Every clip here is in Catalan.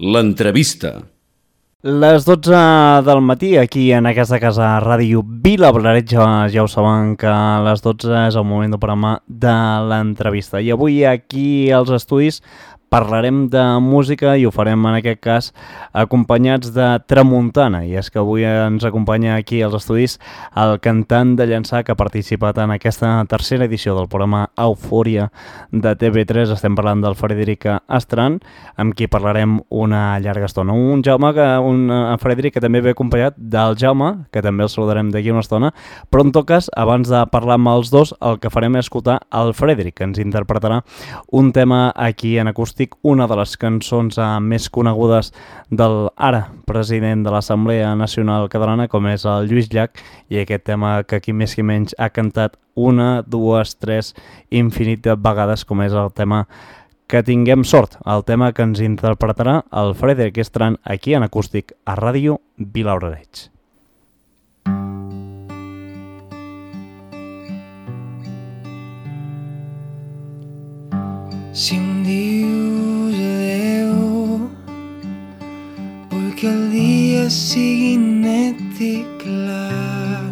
L'entrevista. Les 12 del matí, aquí en aquesta casa Ràdio Vilablareix, ja ho saben que a les 12 és el moment del programa de l'entrevista. I avui aquí als estudis parlarem de música i ho farem en aquest cas acompanyats de Tramuntana. I és que avui ens acompanya aquí als estudis el cantant de Llançà que ha participat en aquesta tercera edició del programa Eufòria de TV3. Estem parlant del Frederic Astran, amb qui parlarem una llarga estona. Un Frederic que també ve acompanyat del Jaume, que també el saludarem d'aquí una estona, però en tot cas, abans de parlar amb els dos, el que farem és escoltar el Frederic, que ens interpretarà un tema aquí en acústic, una de les cançons més conegudes del ara president de l'Assemblea Nacional Catalana, com és el Lluís Llach, i aquest tema que aquí més que menys ha cantat una, dues, tres, infinit de vegades, com és el tema Que tinguem sort, el tema que ens interpretarà el Frederic Astran aquí en acústic a Ràdio Vilablareix. Si em dius adeu, vull que el dia sigui net i clar,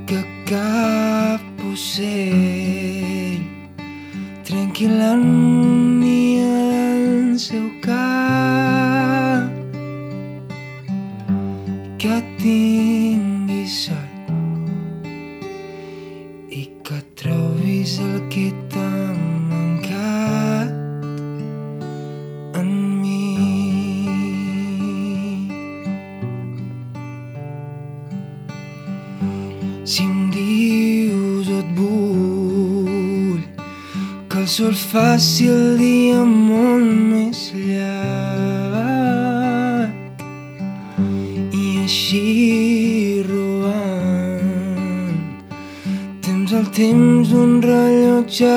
que cap ocell trenqui l'harmonia del seu cap, que tingui sort i que trobis el que t'ha mancat en mi. Si em dius et vull, que el sol faci el dia molt més llarg i així robant temps al temps d'un rellotge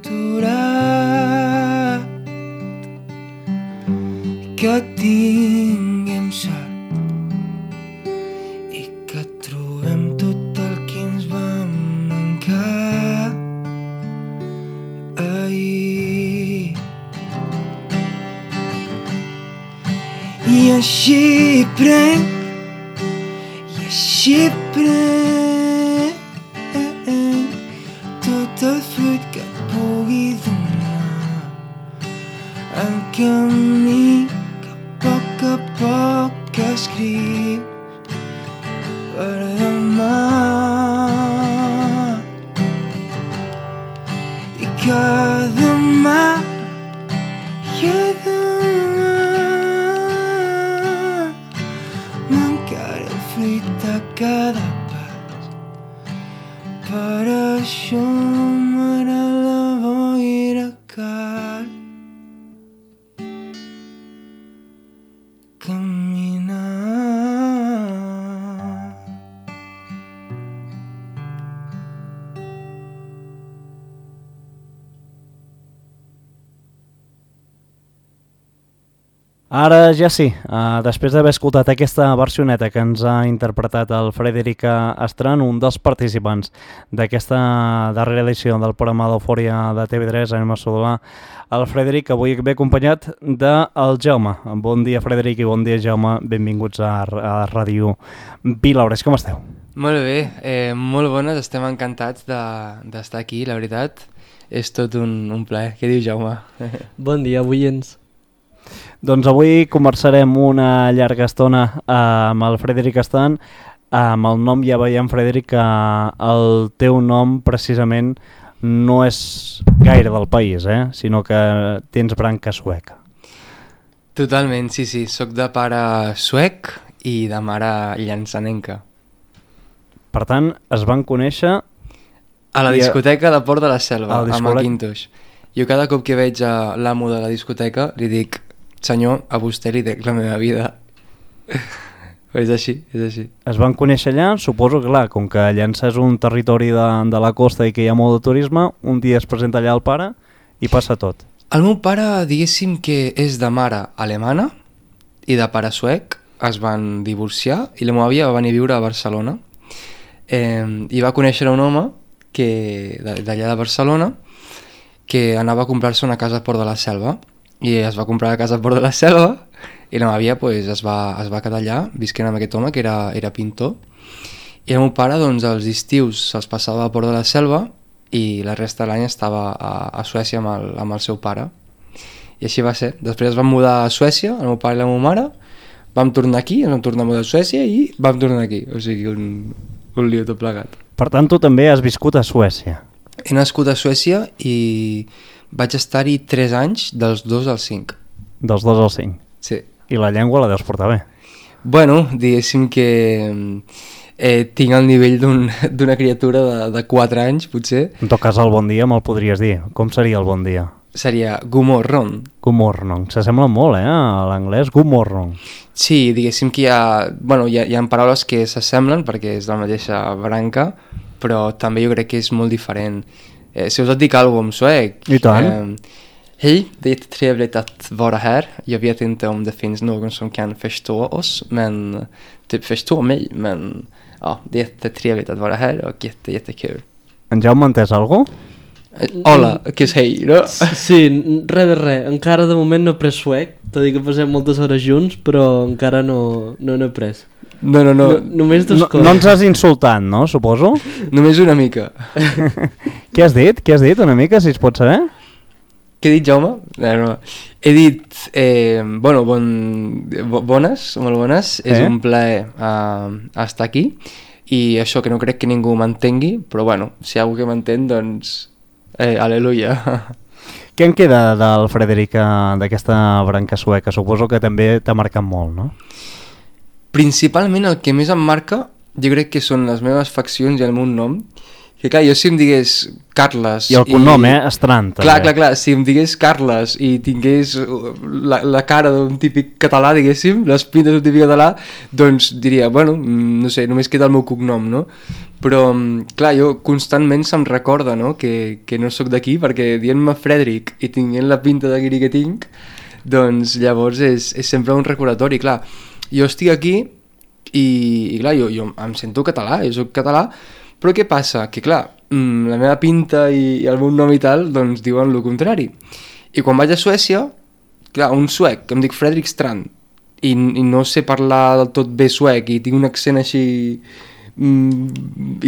aturat, que tinguem sort i que trobem tot el que ens va mancar ahir. I així prenc, tot el fruit que et pugui donar, el camí que a poc escrius per demà, i que demà m'encara el fruit de cada pas. Per això m'agrada la boira car caminar. Ara ja sí, després d'haver escoltat aquesta versioneta que ens ha interpretat el Frederic Astran, un dels participants d'aquesta darrera edició del programa d'Eufòria de TV3, anem a saludar el Frederic, avui ve acompanyat del Jaume. Bon dia, Frederic, i bon dia, Jaume. Benvinguts a Ràdio Vilablareix. Com esteu? Molt bé, molt bones, estem encantats d'estar aquí, la veritat. És tot un plaer. Què diu, Jaume? Bon dia, oients. Doncs avui conversarem una llarga estona amb el Frederic Astran. Amb el nom ja veiem, Frederic, que el teu nom precisament no és gaire del país, sinó que tens branca sueca. Totalment, sí, soc de pare suec i de mare llançanenca. Per tant, es van conèixer a la discoteca de Port de la Selva, a discoteca... Macintosh. Jo cada cop que veig l'amo de la discoteca li dic: senyor, a vostè li dec la meva vida. És així. Es van conèixer allà, suposo que clar, com que Llançà és un territori de la costa i que hi ha molt de turisme, un dia es presenta allà el pare i passa tot. El meu pare, diguéssim que és de mare alemana i de pare suec, es van divorciar i la meva àvia va venir a viure a Barcelona i va conèixer un home d'allà de Barcelona que anava a comprar-se una casa a Port de la Selva i es va comprar una casa a Port de la Selva i la meva àvia pues, es va quedar allà visquent amb aquest home que era pintor, i el meu pare doncs, els estius se'ls passava a Port de la Selva i la resta de l'any estava a Suècia amb el seu pare, i així va ser. Després es van mudar a Suècia, el meu pare i la meva mare, vam tornar aquí, ens vam tornar a mudar a Suècia i vam tornar aquí, o sigui un lío tot plegat. Per tant, tu també has viscut a Suècia. He nascut a Suècia i vaig estar-hi 3 anys, dels 2 als 5. Dels 2 als 5. Sí. I la llengua la deus portar bé. Bueno, diguéssim que tinc el nivell d'una criatura de 4 anys, potser. En tot cas, el bon dia me'l podries dir. Com seria el bon dia? Seria gumorron. Gumorron. S'assembla molt, a l'anglès, gumorron. Sí, diguéssim que hi ha paraules que s'assemblen perquè és de la mateixa branca, però també jo crec que és molt diferent. Si us et dic alguna cosa en suec... I tant. Hej, det är trevligt att vara här. Jag vet inte om det finns någon som kan förstå oss, men typ förstå mig, men ja, det är jättetrevligt att vara här och jättekul. En Jaume, entès alguna cosa? Hola, que és hey, no? Sí, res de res. Encara de moment no he pres suec, tot i que passem moltes hores junts, però encara no n'he pres. No. Només dos coses. No ens has insultat, no, suposo? Només una mica. Què has dit? Què has dit una mica, si es pot saber? Què he dit, Jaume? No. He dit, bones, molt bones, és un plaer estar aquí, i això que no crec que ningú m'entengui, però bueno, si hi ha algú que m'entén, doncs, aleluia. Què en queda del Frederic, d'aquesta branca sueca? Suposo que també t'ha marcat molt, no? Principalment el que més em marca, jo crec que són les meves faccions i el meu nom, que clar, jo si em digués Carles... I el cognom, Estrant. Clar, si em digués Carles i tingués la cara d'un típic català, diguéssim, les pintes d'un típic català, doncs diria, bueno, no sé, només queda el meu cognom, no? Però, clar, jo constantment se'm recorda, no?, que no sóc d'aquí, perquè dient-me Frederic i tinguent la pinta de guiri que tinc, doncs llavors és sempre un recordatori, clar. Jo estic aquí i clar, jo em sento català, jo soc català, però què passa? Que clar, la meva pinta i el meu nom i tal, doncs diuen el contrari. I quan vaig a Suècia, clar, un suec, que em dic Fredrik Strand, i no sé parlar del tot bé suec, i tinc un accent així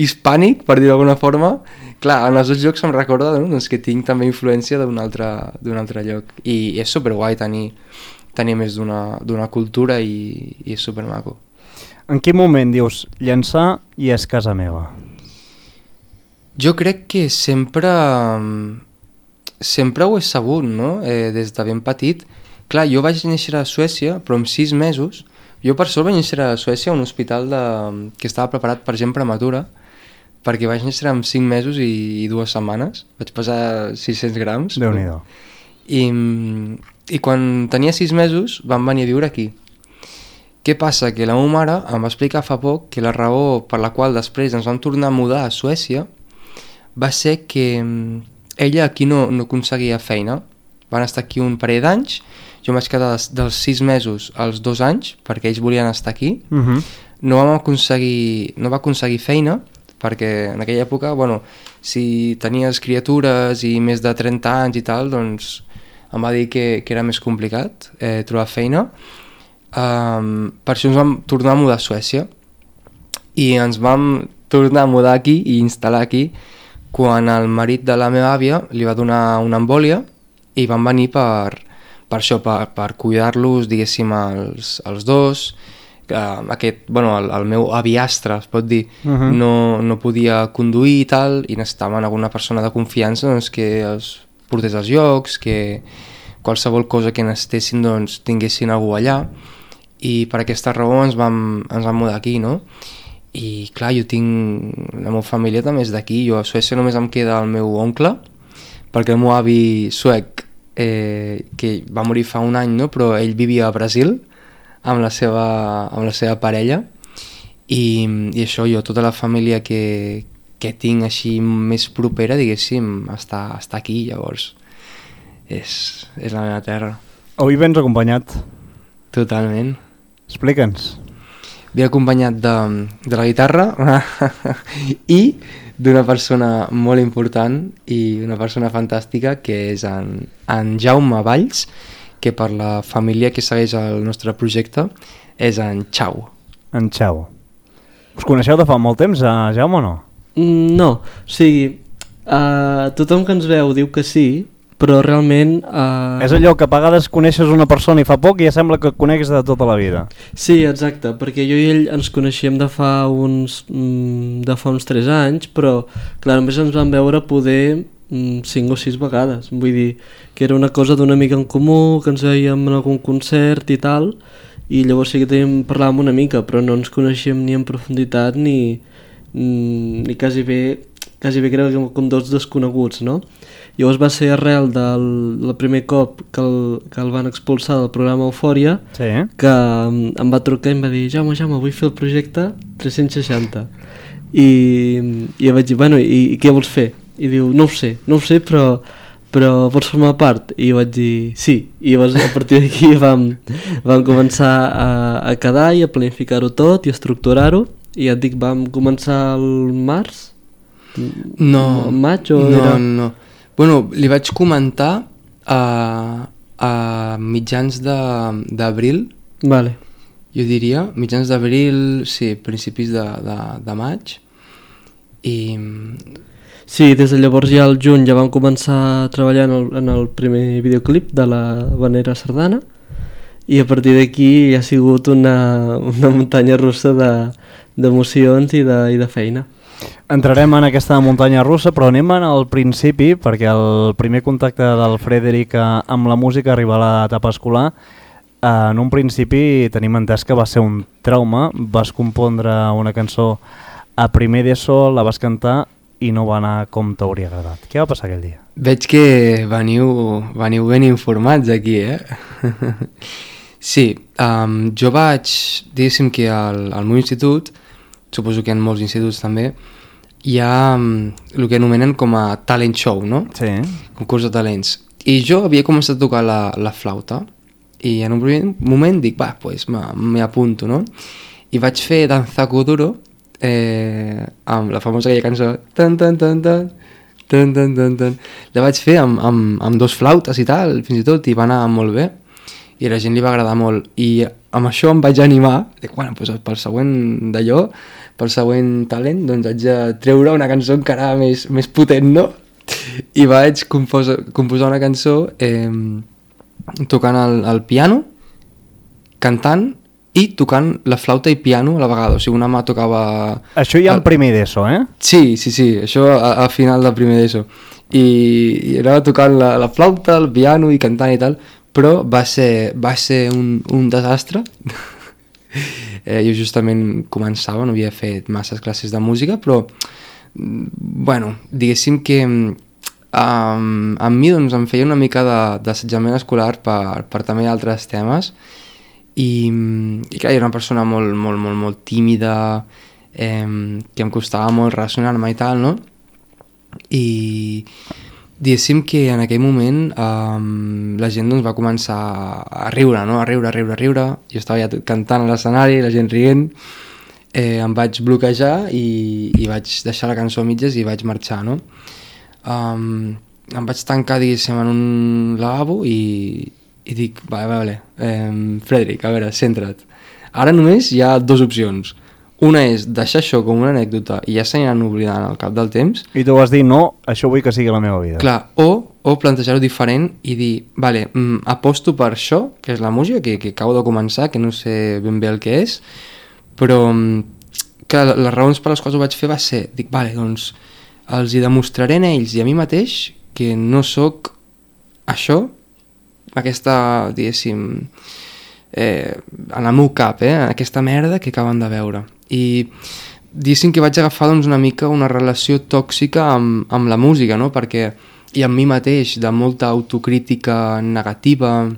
hispànic, per dir d'alguna forma, clar, en els dos llocs em recorda, no? Doncs que tinc també influència d'un altre lloc. I és superguai tenir més d'una cultura i és supermaco. En quin moment dius llançar i és casa meva? Jo crec que sempre ho he sabut, no? Des de ben petit. Clar, jo vaig néixer a Suècia, però amb 6 mesos. Jo per sort vaig néixer a Suècia a un hospital que estava preparat per gent prematura, perquè vaig néixer amb 5 mesos i 2 setmanes. Vaig pesar 600 grams. Déu-n'hi-do. I quan tenia 6 mesos vam venir a viure aquí. Què passa? Que la meva mare em va explicar fa poc que la raó per la qual després ens vam tornar a mudar a Suècia va ser que ella aquí no aconseguia feina. Van estar aquí un parell d'anys, jo em vaig quedar dels 6 mesos als 2 anys perquè ells volien estar aquí. No va aconseguir feina perquè en aquella època, bueno, si tenies criatures i més de 30 anys i tal, doncs em va dir que era més complicat trobar feina. Per això ens vam tornar a mudar a Suècia i ens vam tornar a mudar aquí i instal·lar aquí quan el marit de la meva àvia li va donar una embòlia i van venir per això, per cuidar-los, diguéssim, els dos. El meu aviastre, es pot dir, no podia conduir i tal, i necessitaven alguna persona de confiança doncs, que els portés als llocs, que qualsevol cosa que necessitessin doncs, tinguessin algú allà, i per aquesta raó ens vam mudar aquí, no? I clar, jo tinc... La meva família també és d'aquí, jo a Suècia només em queda el meu oncle, perquè el meu avi suec, que va morir fa un any, no? Però ell vivia a Brasil amb la seva parella, i això, jo, tota la família que tinc així més propera, diguéssim, està aquí, llavors és la meva terra. Avui vens acompanyat. Totalment. Explica'ns. Ve acompanyat de la guitarra i d'una persona molt important i una persona fantàstica, que és en Jaume Valls, que per la família que segueix el nostre projecte és en Xau. En Xau. Us coneixeu de fa molt temps, Jaume, o no? No, o sigui, tothom que ens veu diu que sí, però realment... És allò que a vegades coneixes una persona i fa poc i ja sembla que et conegues de tota la vida. Sí, exacte, perquè jo i ell ens coneixíem de fa uns 3 anys, però clar, només ens vam veure poder 5 o 6 vegades. Vull dir que era una cosa d'una mica en comú, que ens veiem en algun concert i tal, i llavors sí que parlàvem una mica, però no ens coneixíem ni en profunditat ni quasi bé crec que com dos desconeguts, no? Llavors va ser arrel del primer cop que el van expulsar del programa Eufòria, sí, que em va trucar i em va dir Jaume, vull fer el projecte 360. I vaig dir, bueno, i què vols fer? I diu, no ho sé, però vols formar part? I jo vaig dir, sí. I llavors a partir d'aquí vam començar a quedar i a planificar-ho tot i a estructurar-ho. I ja et dic, vam començar al març? No, al maig o no, era... no. Bueno, li vaig comentar a mitjans d'abril, Vale. jo diria, mitjans d'abril, sí, principis de maig, i... Sí, des de llavors ja al juny ja vam començar a treballar en el primer videoclip de la Vanera Sardana i a partir d'aquí ja ha sigut una muntanya russa d'emocions i de feina. Entrarem en aquesta muntanya russa, però anem al principi, perquè el primer contacte del Frederic amb la música arriba a l'etapa escolar. En un principi tenim entès que va ser un trauma, vas compondre una cançó a primer d'ESO, la vas cantar i no va anar com t'hauria agradat. Què va passar aquell dia? Veig que veniu ben informats aquí, Sí, jo vaig, diguéssim que al meu institut, suposo que en molts instituts també, hi ha el que anomenen com a talent show, no? Sí. Concurs de talents. I jo havia començat a tocar la flauta i en un primer moment dic, pues m'hi apunto, no? I vaig fer Danza Kuduro, amb la famosa aquella cançó tan tan tan tan tan tan tan tan. La vaig fer amb 2 flautes i tal, fins i tot, i va anar molt bé i a la gent li va agradar molt i amb això em vaig animar, dic, bueno, pues pel següent d'allò, pel següent talent, doncs haig de treure una cançó encara més potent, no? I vaig composar una cançó tocant el piano, cantant i tocant la flauta i piano a la vegada, o sigui, una mà tocava... Això ja en primer d'ESO, eh? Sí, això a final del primer d'ESO. I anava tocant la flauta, el piano i cantant i tal, però va ser un desastre. Jo justament començava, no havia fet masses classes de música, però, bueno, diguéssim que a mi doncs, em feia una mica d'assetjament escolar per també altres temes, i clar, era una persona molt tímida, que em costava molt relacionar-me i tal, no? I diguéssim que en aquell moment la gent doncs, va començar a riure, no? A riure. Jo estava ja cantant a l'escenari, la gent rient, em vaig bloquejar i vaig deixar la cançó a mitges i vaig marxar, no? Em vaig tancar, diguéssim, en un lavabo i dic, vale, Frederic, a veure, centra't. Ara només hi ha 2 opcions. Una és deixar això com una anècdota i ja s'aniran oblidant al cap del temps. I tu vas dir, no, això vull que sigui la meva vida. Clar, o plantejar-ho diferent i dir, vale, aposto per això, que és la música, que acabo de començar, que no sé ben bé el que és, però que les raons per les quals ho vaig fer va ser, dic, vale, doncs els hi demostraré a ells i a mi mateix que no sóc això, aquesta, diguéssim, en el meu cap, aquesta merda que acaben de veure. I diguéssim que vaig agafar doncs, una mica una relació tòxica amb la música, no? Perquè, i amb mi mateix, de molta autocrítica negativa.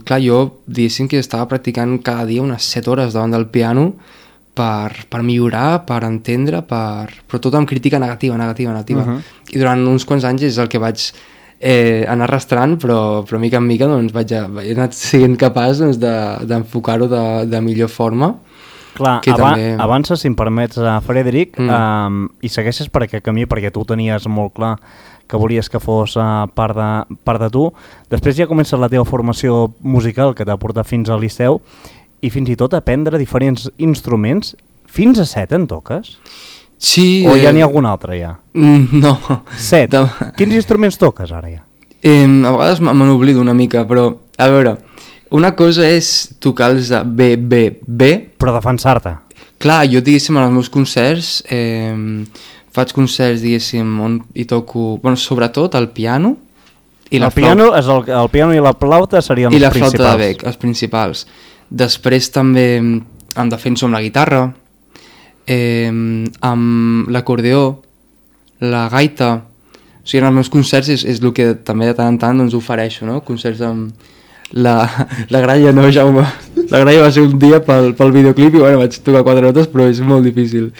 Clar, jo diguéssim que estava practicant cada dia unes 7 hores davant del piano per millorar, per entendre, però tot amb crítica negativa. I durant uns quants anys és el que vaig anar arrastrant, però mica en mica doncs, he anat sent capaç doncs, d'enfocar-ho de millor forma. Clar, també... avances, si em permets, Frederic, i segueixes per aquest camí perquè tu tenies molt clar que volies que fos part de tu. Després ja comença la teva formació musical que t'ha portat fins al Liceu i fins i tot aprendre diferents instruments. Fins a 7 en toques? Sí. O ja n'hi ha algun altre ja? No. 7? Quins instruments toques ara ja? A vegades me n'oblido una mica, però a veure, una cosa és tocar els de B. Però defensar-te. Clar, jo diguéssim als meus concerts, faig concerts diguéssim on hi toco, bueno, sobretot el piano i la piano el piano i la flauta serien els principals. I la flauta de bec, els principals. Després també em defenso amb la guitarra, amb l'acordeó, la gaita. O sigui, en els meus concerts és el que també de tant en tant doncs, ofereixo, no? Concerts amb la gralla, no, Jaume? La gralla va ser un dia pel videoclip i bueno, vaig tocar 4 notes, però és molt difícil.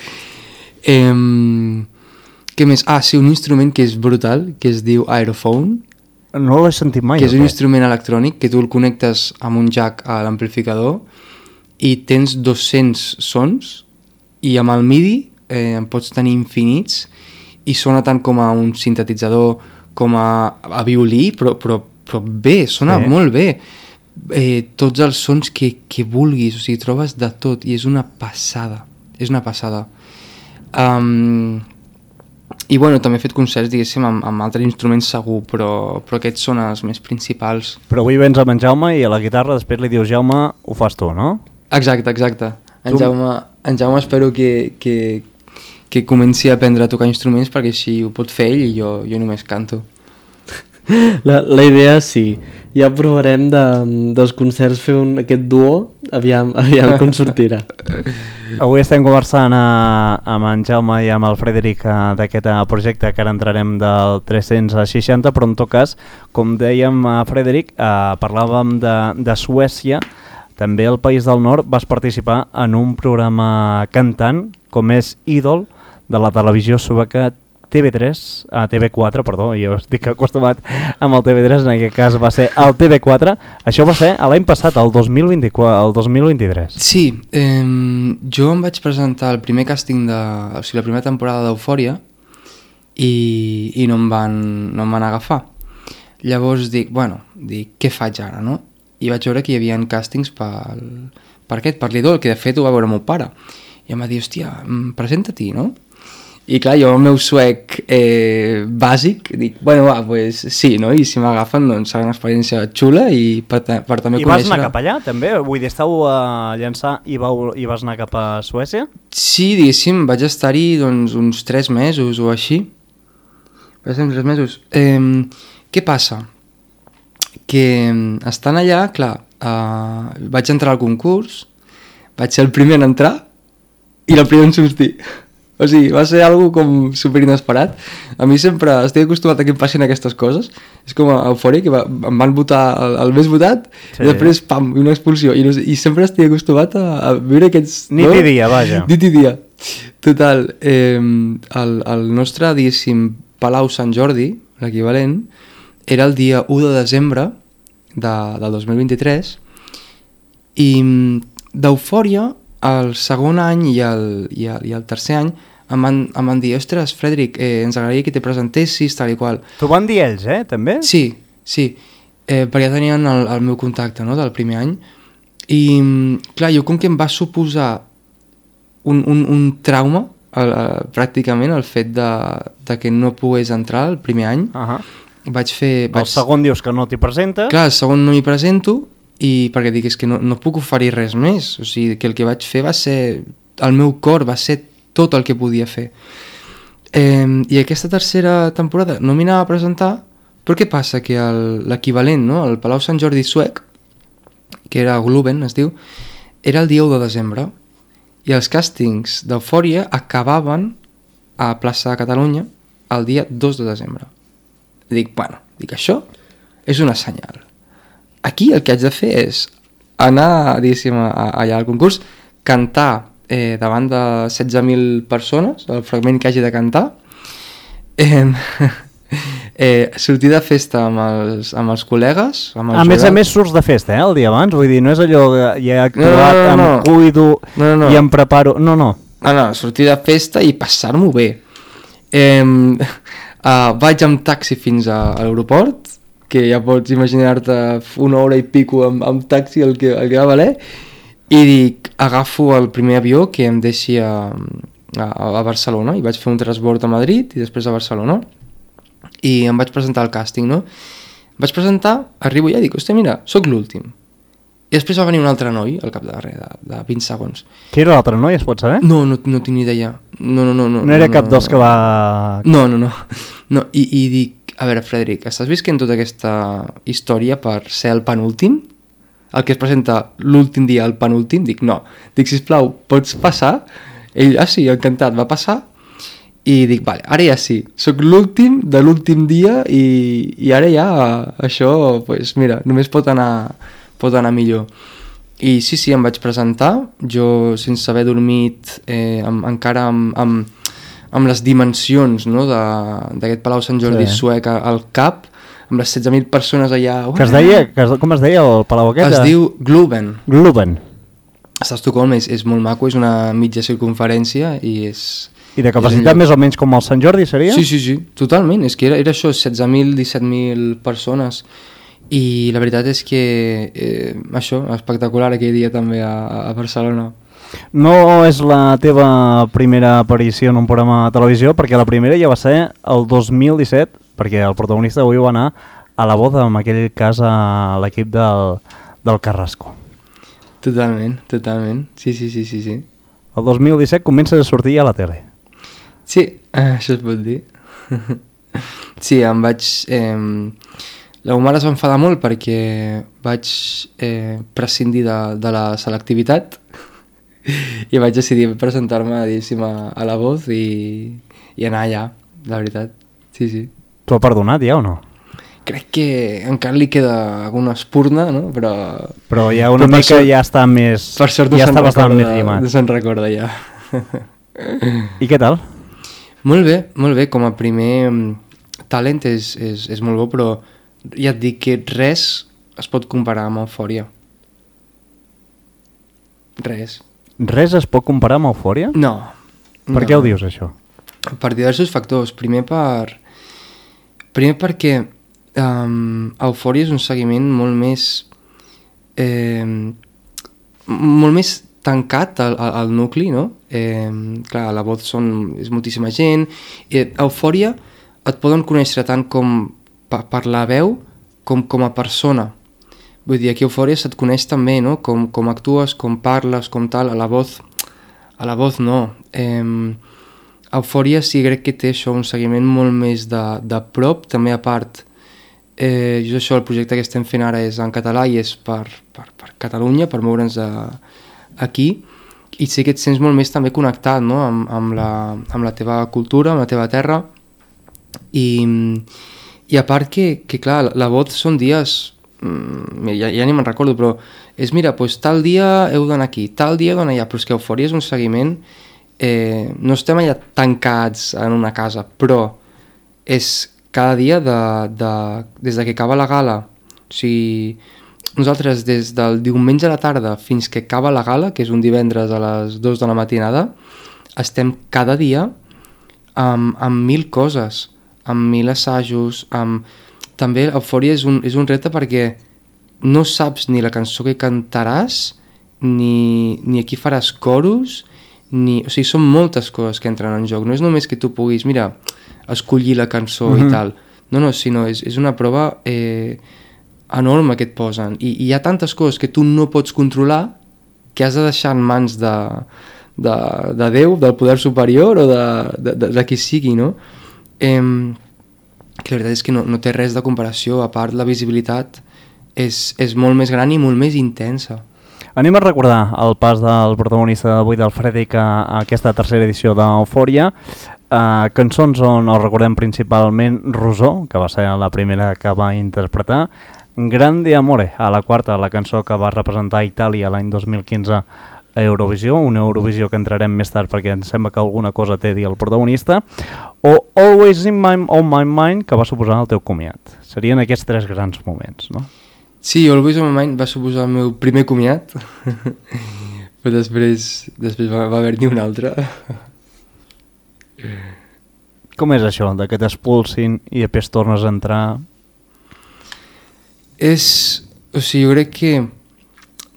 Què més? Sí, un instrument que és brutal, que es diu Aerophone. No l'he sentit mai. Que és un instrument electrònic que tu el connectes amb un jack a l'amplificador i tens 200 sons i amb el MIDI en pots tenir infinits i sona tant com a un sintetitzador com a violí, però bé, sona molt bé. Tots els sons que vulguis, o sigui, trobes de tot i és una passada, i bueno, també he fet concerts, diguéssim, amb altres instruments segur, però aquests són els més principals. Però avui vens amb en Jaume i a la guitarra després li dius Jaume, ho fas tu, no? Exacte. En Jaume espero que comenci a aprendre a tocar instruments perquè així ho pot fer ell i jo només canto. La idea sí, ja provarem dels concerts fer aquest duo, aviam com sortirà. Avui estem conversant amb en Jaume i amb el Frederic d'aquest projecte que ara entrarem del 360, però en tot cas, com dèiem Frederic, parlàvem de Suècia, també al País del Nord vas participar en un programa cantant com és Ídol de la televisió sueca TV4, perdó, jo estic acostumat amb el TV3, en aquest cas va ser el TV4, això va ser l'any passat, el 2023. Sí, jo em vaig presentar al primer càsting, o sigui, la primera temporada d'Eufòria i no em van agafar. Llavors dic, què faig ara, no? I vaig veure que hi havia càstings per l'Idol, que de fet ho va veure el meu pare. I em va dir, hòstia, presenta-t'hi, no? I clar, jo el meu suec bàsic, dic, pues sí, no? I si m'agafen, doncs serà una experiència xula i per també conèixer... I vas anar cap allà, també? Vull dir, estàu a llançar i vas anar cap a Suècia? Sí, diguéssim, vaig estar-hi doncs, uns 3 mesos o així. Vaig estar uns 3 mesos. Què passa? Que estant allà, clar, vaig entrar al concurs, vaig ser el primer en entrar i el primer en sortir. O sigui, va ser algo com super inesperat. A mi sempre estic acostumat a que em passin aquestes coses. És com a Eufòria, que em van votar el més votat, sí. I després, pam, una expulsió. I sempre estic acostumat a viure aquests... Nit i dia, vaja. Nit i dia. Total, el nostre, diguéssim, Palau Sant Jordi, l'equivalent, era el dia 1 de desembre del 2023 i d'Eufòria el segon any i el tercer any em van dir, ostres, Frederic, ens agradaria que te presentessis, tal i qual. T'ho van dir ells, també? Sí, perquè tenien el meu contacte, no?, del primer any. I, clar, jo com que em va suposar un trauma, pràcticament, el fet de que no pogués entrar el primer any, vaig fer... El segon dius que no t'hi presentes? Clar, el segon no m'hi presento, i perquè dic, és que no puc oferir res més, o sigui, que el que vaig fer va ser, el meu cor va ser tot el que podia fer. I aquesta tercera temporada no m'hi anava a presentar, però què passa? Que l'equivalent, no?, el Palau Sant Jordi suec, que era Globen, es diu, era el dia 1 de desembre, i els càstings d'Eufòria acabaven a Plaça de Catalunya el dia 2 de desembre. Dic, això és una senyal. Aquí el que haig de fer és anar, diguéssim, allà al concurs, cantar davant de 16.000 persones, el fragment que hagi de cantar, sortir de festa amb els col·legues, amb els jurats. A més surts de festa, el dia abans, vull dir, no és allò que ja he actuat, em cuido i em preparo, no. No, sortir de festa i passar-m'ho bé. Vaig amb taxi fins a l'aeroport, que ja pots imaginar-te una hora i pico amb taxi el que va valer, i dic, agafo el primer avió que em deixi a Barcelona, i vaig fer un transbord a Madrid i després a Barcelona, i em vaig presentar al càsting, no? Vaig presentar, arribo allà i dic, hòstia, mira, sóc l'últim. I després va venir un altre noi al cap de 20 segons. Qui era l'altre noi, es pot saber? No tinc ni idea. No era cap dels que va... No, i dic, a veure, Frederic, estàs visquent tota aquesta història per ser el penúltim? El que es presenta l'últim dia, el penúltim? Dic, no. Dic, sisplau, pots passar? Ell, sí, encantat, va passar. I dic, vale, ara ja sí, sóc l'últim de l'últim dia i ara ja això, pues mira, només pot anar millor. I sí, em vaig presentar, jo sense haver dormit, encara amb les dimensions, no, d'aquest Palau Sant Jordi suec al cap, amb les 16.000 persones allà... Com es deia el palau aquest? Es diu Globen. Està a Estocolm, és molt maco, és una mitja circunferència i és... I de capacitat més o menys com el Sant Jordi seria? Sí, totalment, és que era això, 16.000, 17.000 persones, i la veritat és que això, espectacular aquell dia també a Barcelona. No és la teva primera aparició en un programa de televisió, perquè la primera ja va ser el 2017, perquè el protagonista avui va anar a la boda, en aquell cas a l'equip del Carrasco. Totalment, sí. El 2017 comença a sortir a la tele. Sí, això es pot dir. Sí, em vaig... La meva mare es va enfadar molt perquè vaig prescindir de la selectivitat i vaig decidir presentar-me a La Voz i anar allà, la veritat. Sí. T'ho ha perdonat ja o no? Crec que encara li queda alguna espurna, no? Però ja una mica ja està més... Per sort ja està bastant més llimat. No se'n recorda ja. I què tal? Molt bé, com a primer talent és molt bo, però ja et dic que res es pot comparar amb Eufòria. Res. Res es pot comparar amb Eufòria? No. Per què ho dius, això? Per diversos factors. Primer perquè Eufòria és un seguiment molt més tancat al nucli, no? Clar, a La Voz és moltíssima gent. Eufòria et poden conèixer tant com per la veu com a persona. Vull dir, aquí a Eufòria se't coneix també, no? Com actues, com parles, com tal. A La Voz no. Eufòria sí crec que té això, un seguiment molt més de prop, també a part. Just això, el projecte que estem fent ara és en català i és per Catalunya, per moure'ns aquí, i sé que et sents molt més també connectat, no? amb la teva cultura, amb la teva terra, i a part que clar, La Voz són dies, ja ni me'n recordo, però és, mira, doncs tal dia heu d'anar aquí, tal dia heu d'anar allà, però és que Eufòria és un seguiment, no estem allà tancats en una casa, però és cada dia des de que acaba la gala, o sigui, nosaltres des del diumenge a la tarda fins que acaba la gala, que és un divendres a les 2 de la matinada, estem cada dia amb 1.000 coses, amb 1.000 assajos, també Eufòria és un repte perquè no saps ni la cançó que cantaràs, ni aquí faràs coros, o sigui, són moltes coses que entren en joc, no és només que tu puguis, mira, escollir la cançó i tal, no, sinó és una prova enorme que et posen, i hi ha tantes coses que tu no pots controlar que has de deixar en mans de Déu, del poder superior o de qui sigui, no? Que la veritat és que no té res de comparació, a part la visibilitat és molt més gran i molt més intensa. Anem a recordar el pas del protagonista d'avui, del Frederic, a aquesta tercera edició d'Eufòria. Cançons on el recordem principalment Rosó, que va ser la primera que va interpretar, Grande Amore, a la quarta, la cançó que va representar Itàlia l'any 2015 a Eurovisió, una Eurovisió que entrarem més tard perquè em sembla que alguna cosa té a dir el protagonista, o Always on My Mind, que va suposar el teu comiat. Serien aquests tres grans moments, no? Sí, Always on My Mind va suposar el meu primer comiat, però després va haver-n'hi un altre. Com és això, de que t'expulsin i després tornes a entrar? O sigui, jo crec que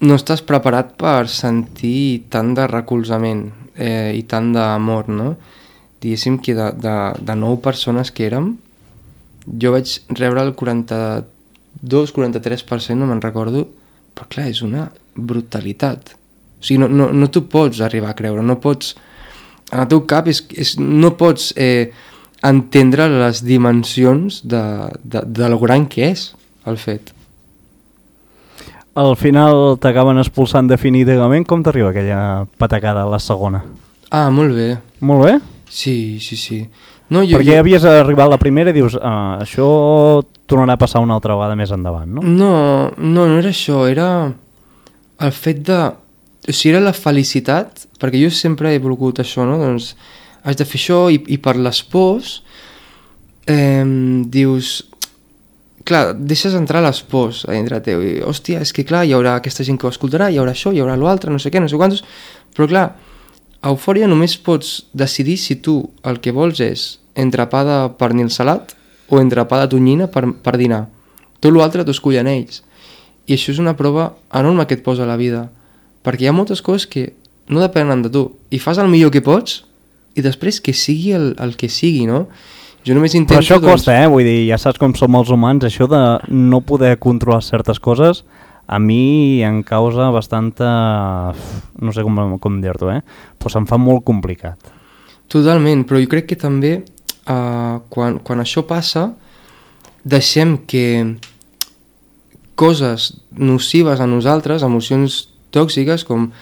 no estàs preparat per sentir tant de recolzament i tant d'amor, no? Diguéssim que de 9 persones que érem, jo vaig rebre el 42-43%, no me'n recordo, però clar, és una brutalitat. O sigui, no t'ho pots arribar a creure, no pots... En el teu cap no pots entendre les dimensions de lo gran que és el fet. Al final t'acaben expulsant definitivament. Com t'arriba aquella patacada a la segona? Ah, molt bé. Molt bé? Sí. No, perquè havies arribat a la primera i dius això tornarà a passar una altra vegada més endavant, no? No era això, era el fet de... O sigui, era la felicitat, perquè jo sempre he volgut això, no? Doncs has de fer això i per les pors dius... Clar, deixes entrar les pors a dintre teu i, hòstia, és que clar, hi haurà aquesta gent que ho escoltarà, hi haurà això, hi haurà l'altre, no sé què, no sé quantos... Però clar, a Eufòria només pots decidir si tu el que vols és entrepà de pernil salat o entrepà de tonyina per dinar. Tot l'altre t'ho escollen ells. I això és una prova enorme que et posa a la vida, perquè hi ha moltes coses que no depenen de tu i fas el millor que pots i després que sigui el que sigui, no? Jo només intento... Però això costa, vull dir, ja saps com som els humans, això de no poder controlar certes coses a mi em causa bastanta... no sé com dir-t'ho, però se'm fa molt complicat. Totalment, però jo crec que també quan això passa deixem que coses nocives a nosaltres, emocions tòxiques com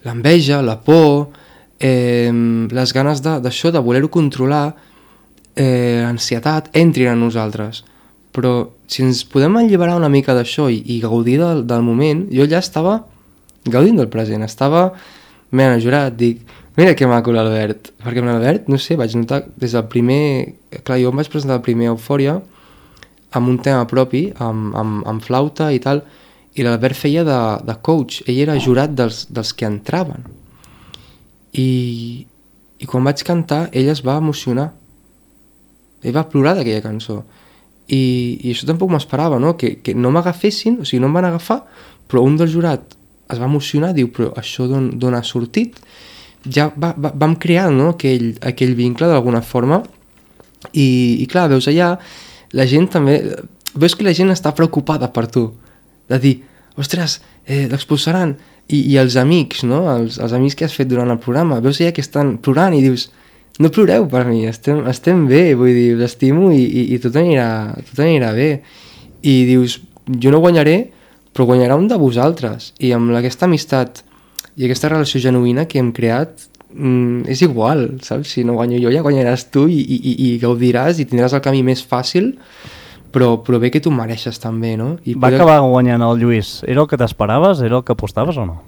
l'enveja, la por, les ganes d'això, de voler-ho controlar, ansietat, entrin a nosaltres. Però si ens podem alliberar una mica d'això i gaudir del moment, jo ja estava gaudint del present, estava enajorat, dic, mira que maco l'Albert, perquè amb l'Albert, no sé, vaig notar des del primer... Clar, jo em vaig presentar el primer Eufòria amb un tema propi, amb flauta i tal, i l'Albert feia de coach, ell era jurat dels que entraven. I quan vaig cantar, ell es va emocionar. Ell va plorar d'aquella cançó. I això tampoc m'esperava, no? Que no m'agafessin, o sigui, no em van agafar, però un del jurat es va emocionar, diu, però això d'on ha sortit? Ja vam crear, no? aquell vincle d'alguna forma, i clar, veus allà, la gent també... Veus que la gent està preocupada per tu, de dir, ostres, l'expulsaran, i els amics, no? Els amics que has fet durant el programa, veus allà que estan plorant i dius, no ploreu per mi, estem bé, vull dir, l'estimo i tot anirà bé. I dius, jo no guanyaré, però guanyarà un de vosaltres. I amb aquesta amistat i aquesta relació genuïna que hem creat, és igual, saps? Si no guanyo jo, ja guanyaràs tu i gaudiràs i tindràs el camí més fàcil, però bé que tu mereixes també, no? Va acabar guanyant el Lluís. Era el que t'esperaves? Era el que apostaves o no?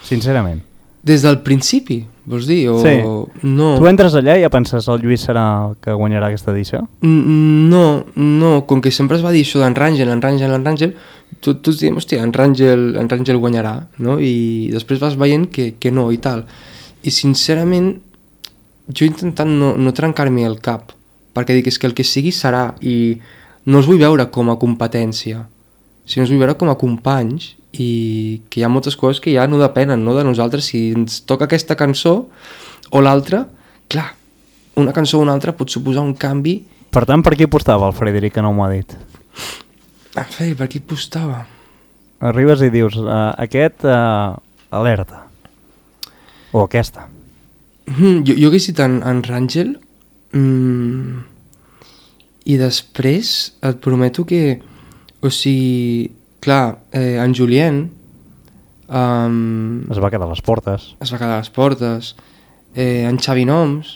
Sincerament. Des del principi, vols dir? Sí. No. Tu entres allà i ja penses el Lluís serà el que guanyarà aquesta edició? No, com que sempre es va dir això d'en Ràngel, tots diem, hòstia, en Ràngel guanyarà, no? I després vas veient que no i tal. I sincerament, jo he intentat no trencar-me el cap, perquè dic, és que el que sigui serà, i no els vull veure com a competència, sinó els vull veure com a companys, i que hi ha moltes coses que ja no depenen, no, de nosaltres. Si ens toca aquesta cançó o l'altra, clar, una cançó o una altra pot suposar un canvi. Per tant, per qui apostava el Frederic, que no m'ho ha dit? Per qui apostava? Arribes i dius, aquest, alerta. O aquesta. Jo hagués dit en Ràngel, i després et prometo que, o sigui, clar, en Julien es va quedar a les portes. En Xavi Noms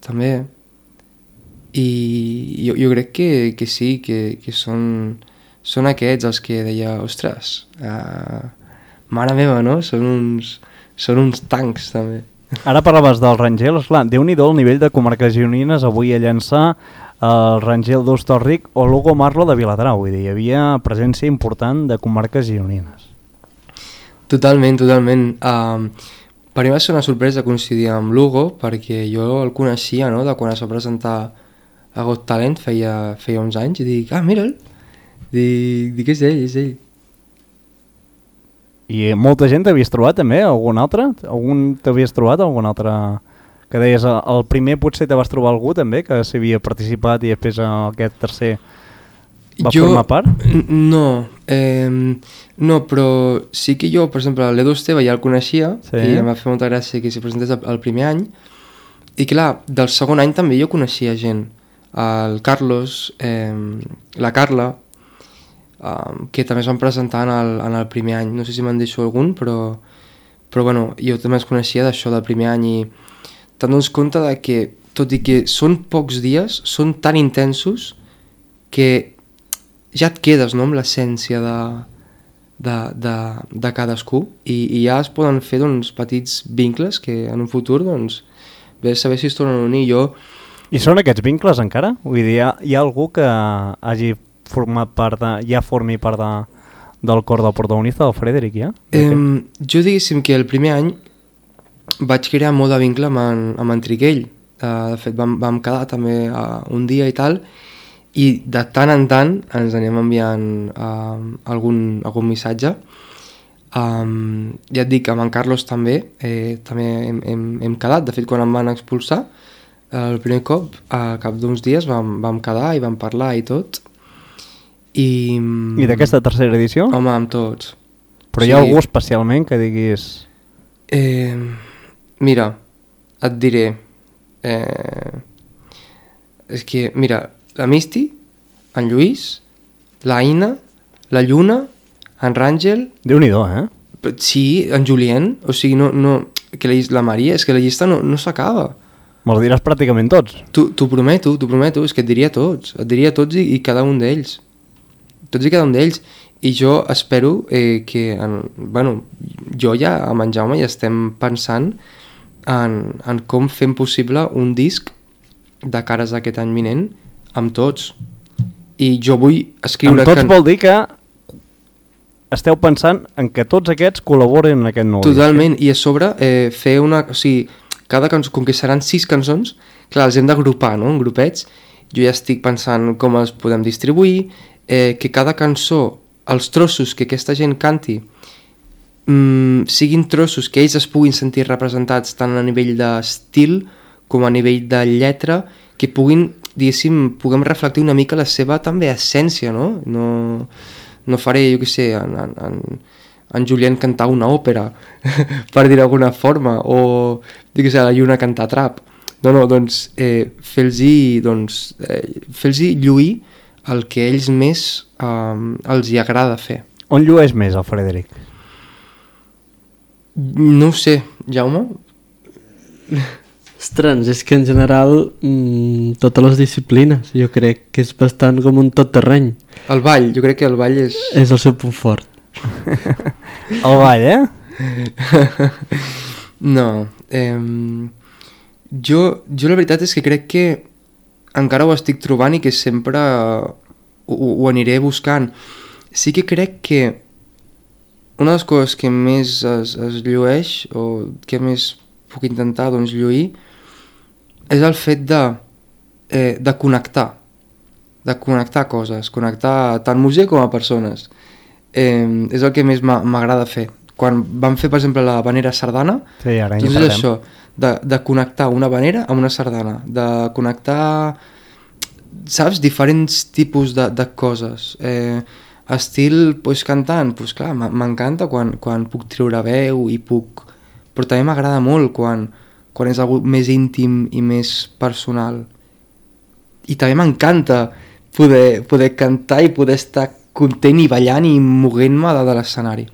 també, i jo crec que sí, que són aquests els que deia, ostres, mare meva, no? Són uns tancs també. Ara parlaves del Rangel, esclar, Déu-n'hi-do el nivell de comarques gironines avui a llançar el Rangel d'Hostalric o l'Hugo Marlo de Viladrau, vull dir, hi havia presència important de comarques gironines. Totalment. Per mi va ser una sorpresa coincidir amb l'Hugo, perquè jo el coneixia, no?, de quan es va presentar a Got Talent feia uns anys, i dic, mira'l, dic és ell, és ell. I molta gent t'havies trobat també, algun altre? T'havies trobat algun altre? Que deies, el primer potser te vas trobar algú també, que s'havia participat i després aquest tercer va formar part? No, no, però sí que jo, per exemple, l'Edu Esteve ja el coneixia, sí. I em va fer molta gràcia que s'hi presentés el primer any, i clar, del segon any també jo coneixia gent, el Carlos, la Carla, que també es van presentar en el primer any, no sé si me'n deixo algun, però bueno, jo també es coneixia d'això del primer any, i te'n dones compte de que, tot i que són pocs dies, són tan intensos que ja et quedes, no?, amb l'essència de cadascú, i ja es poden fer, doncs, petits vincles que en un futur, doncs, bé saber si es tornen a unir. I són aquests vincles encara? Vull dir, hi ha algú que hagi format part ja formi part del cor del protagonista, del Frederic, ja? Jo diguéssim que el primer any vaig crear molt de vincle amb en Triquell. De fet, vam quedar també un dia i tal, i de tant en tant ens anem enviant algun missatge. Ja et dic, amb en Carlos també hem quedat. De fet, quan em van expulsar el primer cop, a cap d'uns dies vam quedar i vam parlar i tot. I d'aquesta tercera edició? Home, amb tots. Però hi ha algú especialment que diguis... Mira, et diré... És que, mira, la Misty, en Lluís, la Aina, la Lluna, en Ràngel... Déu-n'hi-do, eh? Sí, en Julien, o sigui, no, que la Maria, és que la llista no s'acaba. Me'ls diràs pràcticament tots. T'ho prometo, és que et diria tots i cada un d'ells. Tots i cada un d'ells. I jo espero que, jo ja amb en Jaume ja estem pensant en com fem possible un disc de cares d'aquest any vinent amb tots. I jo vull escriure... Amb tots vol dir que esteu pensant en que tots aquests col·laboren en aquest nou Totalment, disc. I a sobre fer una... O sigui, cada cançó, com que seran 6 cançons, clar, els hem d'agrupar, no?, en grupets. Jo ja estic pensant com els podem distribuir, que cada cançó, els trossos que aquesta gent canti, siguin trossos que ells es puguin sentir representats tant a nivell d'estil com a nivell de lletra, que puguin, diguéssim, puguem reflectir una mica la seva també essència, no? No faré, jo què sé, en Julien cantar una òpera, per dir d'alguna forma, o, jo què sé, la Lluna cantar trap. No, doncs, fer-los lluir el que ells més els hi agrada fer. On llueix més el Frederic? No ho sé, Jaume? Ostres, és que en general totes les disciplines, jo crec que és bastant com un tot terreny. El ball, jo crec que el ball és... És el seu punt fort. El ball, No, jo la veritat és que crec que encara ho estic trobant i que sempre ho aniré buscant. Sí que crec que una de les coses que més es llueix, o que més puc intentar, doncs, lluir, és el fet de connectar coses, connectar tant música com a persones. És el que més m'agrada fer. Quan vam fer, per exemple, la vanera sardana, sí, ara doncs és això, de connectar una vanera amb una sardana, de connectar, saps, diferents tipus de coses. Estil, doncs, cantant, doncs clar, m'encanta quan puc treure veu i puc... Però també m'agrada molt quan és algo més íntim i més personal. I també m'encanta poder cantar i poder estar content i ballant i moguent-me de l'escenari.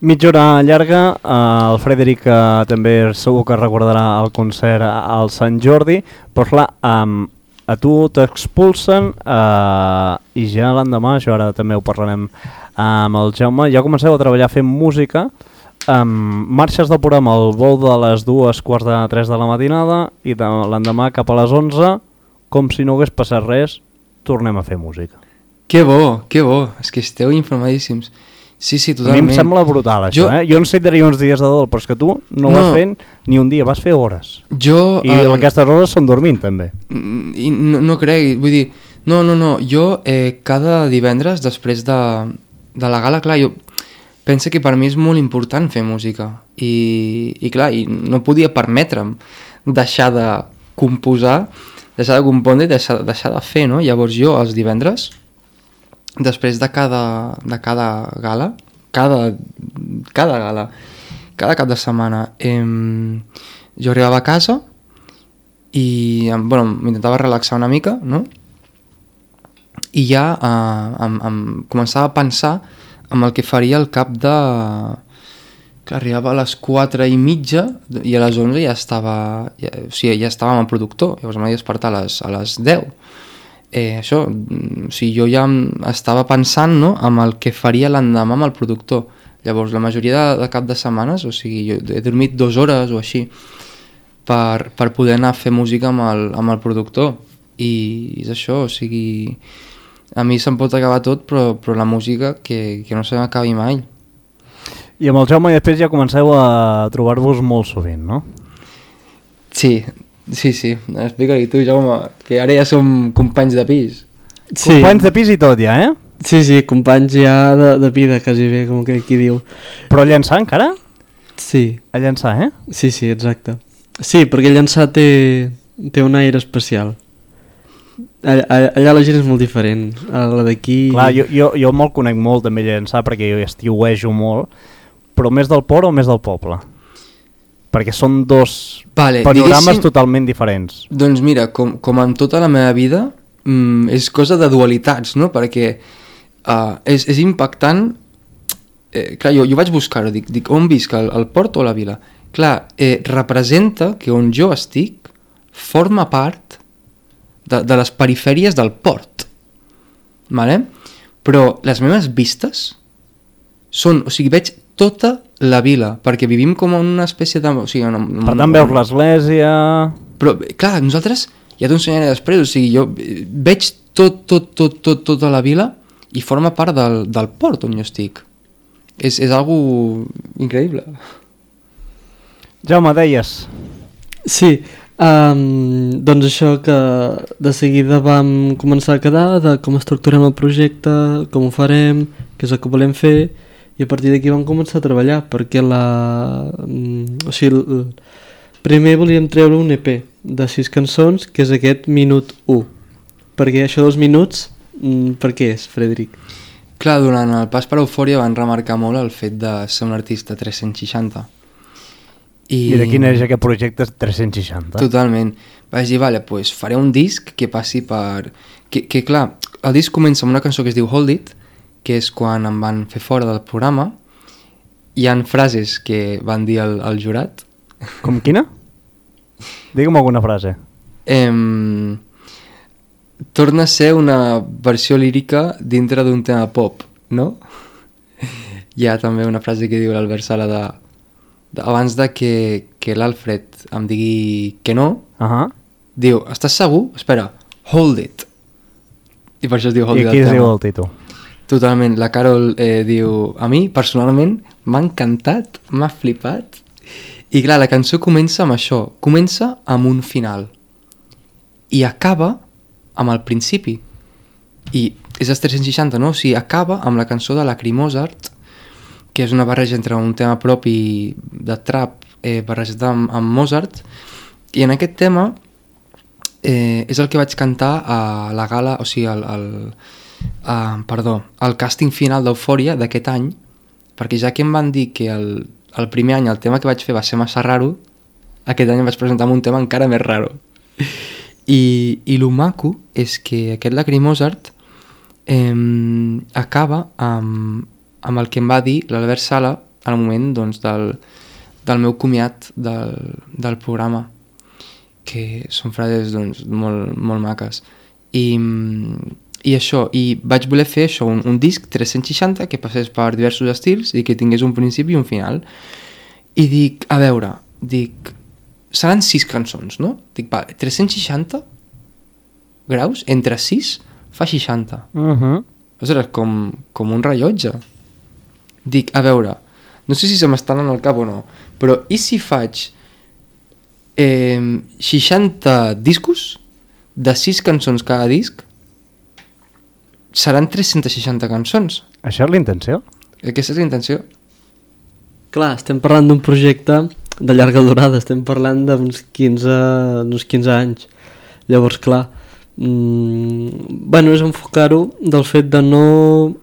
Mitja hora llarga, el Frederic també segur que recordarà el concert al Sant Jordi, però clar, a tu t'expulsen i ja l'endemà, això ara també ho parlarem amb el Jaume, ja comenceu a treballar fent música, marxes del programa al vol de les 2:45 de la matinada i l'endemà cap a les 11, com si no hagués passat res, tornem a fer música. Que bo, és que esteu informadíssims. Sí, sí, A mi totalment. em sembla brutal, això, Jo necessitaria uns dies de dol, però és que tu no vas fent ni un dia, vas fer hores. I aquestes hores són dormint, també. I no crec, vull dir, no, jo cada divendres després de la gala, clar, jo penso que per mi és molt important fer música i clar, i no podia permetre'm deixar de composar, deixar de compondre i deixar de fer, no? Llavors jo els divendres, després de cada gala, cada gala, cada cap de setmana, jo arribava a casa i m'intentava relaxar una mica, no? I ja començava a pensar en el que faria al cap de... que arribava a les 4:30 i a les 11 ja estava... ja estàvem al productor, llavors m'havia de despertar a les 10. Això, o sigui, jo ja estava pensant, no?, en el que faria l'endemà amb el productor. Llavors, la majoria de cap de setmanes, o sigui, jo he dormit 2 hores o així per poder anar a fer música amb el productor. I és això, o sigui, a mi se'm pot acabar tot, però la música que no se m'acabi mai. I amb el Jaume i després ja comenceu a trobar-vos molt sovint, no? Sí. Explica-li tu, Jaume, que ara ja som companys de pis. Sí. Companys de pis i tot ja, Sí, companys ja de vida, quasi bé, com que qui diu. Però a llançar encara? Sí. A llançar, Sí, exacte. Sí, perquè llançar té un aire especial. Allà la gent és molt diferent, a la d'aquí... Clar, jo me'l conec molt també a llançar perquè jo estiuejo molt, però més del port o més del poble? Perquè són dos panorames totalment diferents. Doncs mira, com en tota la meva vida, és cosa de dualitats, no? Perquè és impactant... clar, jo vaig buscar-ho, dic on visc, al port o a la vila? Clar, representa que on jo estic forma part de les perifèries del port, vale? Però les meves vistes són, o sigui, veig tota la vila, perquè vivim com en una espècie de... O sigui, per tant veus l'església... Però, clar, nosaltres, ja t'ho ensenyaré després, o sigui, jo veig tota la vila i forma part del port on jo estic. És algo increïble. Jaume, deies... Sí, doncs això que de seguida vam començar a quedar de com estructurem el projecte, com ho farem, què és el que volem fer, i a partir d'aquí vam començar a treballar perquè primer volíem treure un EP de 6 cançons, que és aquest minut 1, perquè això dels minuts, per què és, Frederic? Clar, durant el pas per Eufòria van remarcar molt el fet de ser un artista 360. I de quin és aquest projecte 360? Totalment. Vaig dir, vale, pues faré un disc que passi per... Que clar, el disc comença amb una cançó que es diu Hold It, que és quan em van fer fora del programa. Hi han frases que van dir al jurat. Com quina? Digue'm alguna frase. Torna a ser una versió lírica dintre d'un tema pop, no? Hi ha també una frase que diu l'Albert Sala abans de que l'Alfred em digui que no, diu, estàs segur? Espera, hold it. I per això es diu hold it. I aquí es diu el títol. Totalment, la Carol diu, a mi personalment m'ha encantat, m'ha flipat. I clar, la cançó comença amb això, comença amb un final i acaba amb el principi. I és el 360, no? O sigui, acaba amb la cançó de Lacrimosart, que és una barreja entre un tema propi de trap barrejat amb Mozart, i en aquest tema és el que vaig cantar a la gala, o sigui, el càsting final d'Eufòria d'aquest any, perquè ja que em van dir que el primer any el tema que vaig fer va ser massa raro, aquest any em vaig presentar amb un tema encara més raro. I lo maco és que aquest Lacrimosart acaba amb el que em va dir l'Albert Sala al moment doncs, del meu comiat del programa, que són frases doncs, molt, molt maques. I això, i vaig voler fer això, un disc 360 que passés per diversos estils i que tingués un principi i un final. I dic, a veure, seran 6 cançons, no? Dic, vale, 360 graus, entre 6 fa 60. Ostres, com un rellotge. dic, a veure, no sé si se m'estan en el cap o no, però i si faig 60 discos de 6 cançons cada disc, seran 360 cançons. Això és la intenció? Aquesta és la intenció. Clar, estem parlant d'un projecte de llarga durada, estem parlant d'uns 15 anys. Llavors, clar, és enfocar-ho del fet de no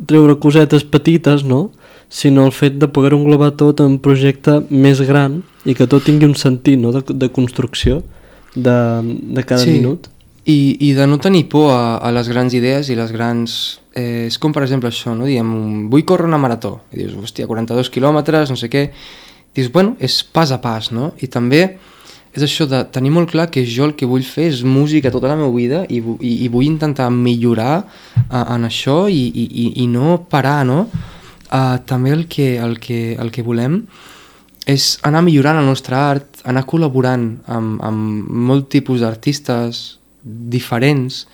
treure cosetes petites, no? Sinó el fet de poder englobar tot en un projecte més gran i que tot tingui un sentit, no? de construcció de cada minut. I de no tenir por a les grans idees i les grans... és com, per exemple, això, no? Diem, vull córrer una marató. I dius, hòstia, 42 quilòmetres, no sé què. Dius, bueno, és pas a pas, no? I també és això de tenir molt clar que jo el que vull fer és música tota la meva vida i vull intentar millorar en això i no parar, no? També el que volem és anar millorant el nostre art, anar col·laborant amb molt tipus d'artistes diferents,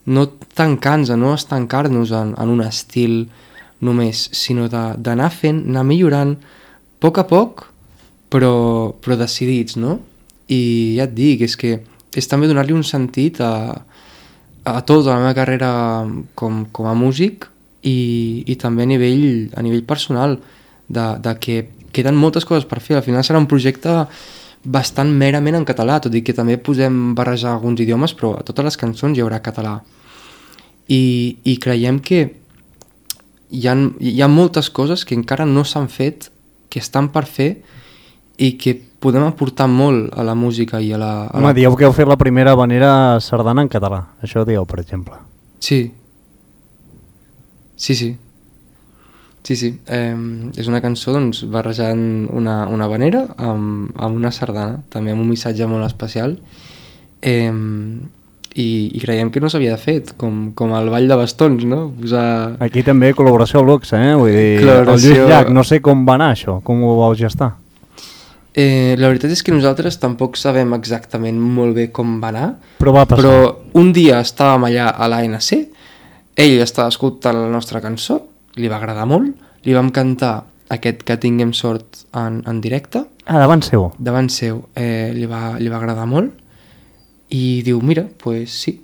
no tancant-nos, no estancar-nos en un estil només, sinó d'anar fent, anar millorant a poc, però decidits, no? I ja et dic, és que és també donar-li un sentit a tota la meva carrera com a músic i també a nivell personal, de que queden moltes coses per fer. Al final serà un projecte bastant merament en català, tot i que també podem barrejar alguns idiomes, però a totes les cançons hi haurà català. I creiem que hi ha moltes coses que encara no s'han fet, que estan per fer i que podem aportar molt a la música i a la... Home, dieu que heu fet la primera habanera sardana en català, això dieu, per exemple. Sí. És una cançó, doncs, barrejant una habanera amb una sardana, també amb un missatge molt especial, i creiem que no s'havia fet, com el ball de bastons, no? Posar... Aquí també col·laboració al luxe, vull dir, el Lluís Llach, no sé com va anar això, com ho vau gestar. La veritat és que nosaltres tampoc sabem exactament molt bé com va anar, però va passar. Però un dia estàvem allà a l'ANC, ell estava escoltant la nostra cançó, li va agradar molt, li vam cantar aquest Que tinguem sort en directe. Davant seu? Davant seu, li va agradar molt i diu, mira, pues sí,